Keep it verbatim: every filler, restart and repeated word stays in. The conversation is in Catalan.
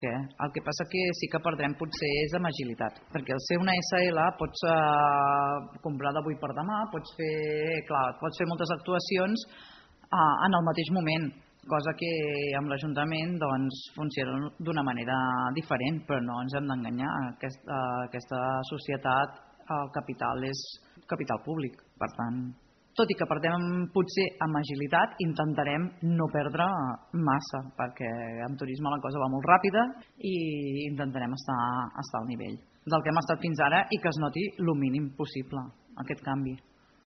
El que passa que sí que perdrem potser és amb agilitat, perquè el ser una essa ele pots comprar d'avui per demà, pots fer, clar, pots fer moltes actuacions en el mateix moment, cosa que amb l'Ajuntament funciona d'una manera diferent, però no ens hem d'enganyar, aquesta societat, el capital és capital públic, per tant, tot i que perdem potser amb agilitat, intentarem no perdre massa, perquè en turisme la cosa va molt ràpida i intentarem estar al nivell del que hem estat fins ara i que es noti el mínim possible aquest canvi.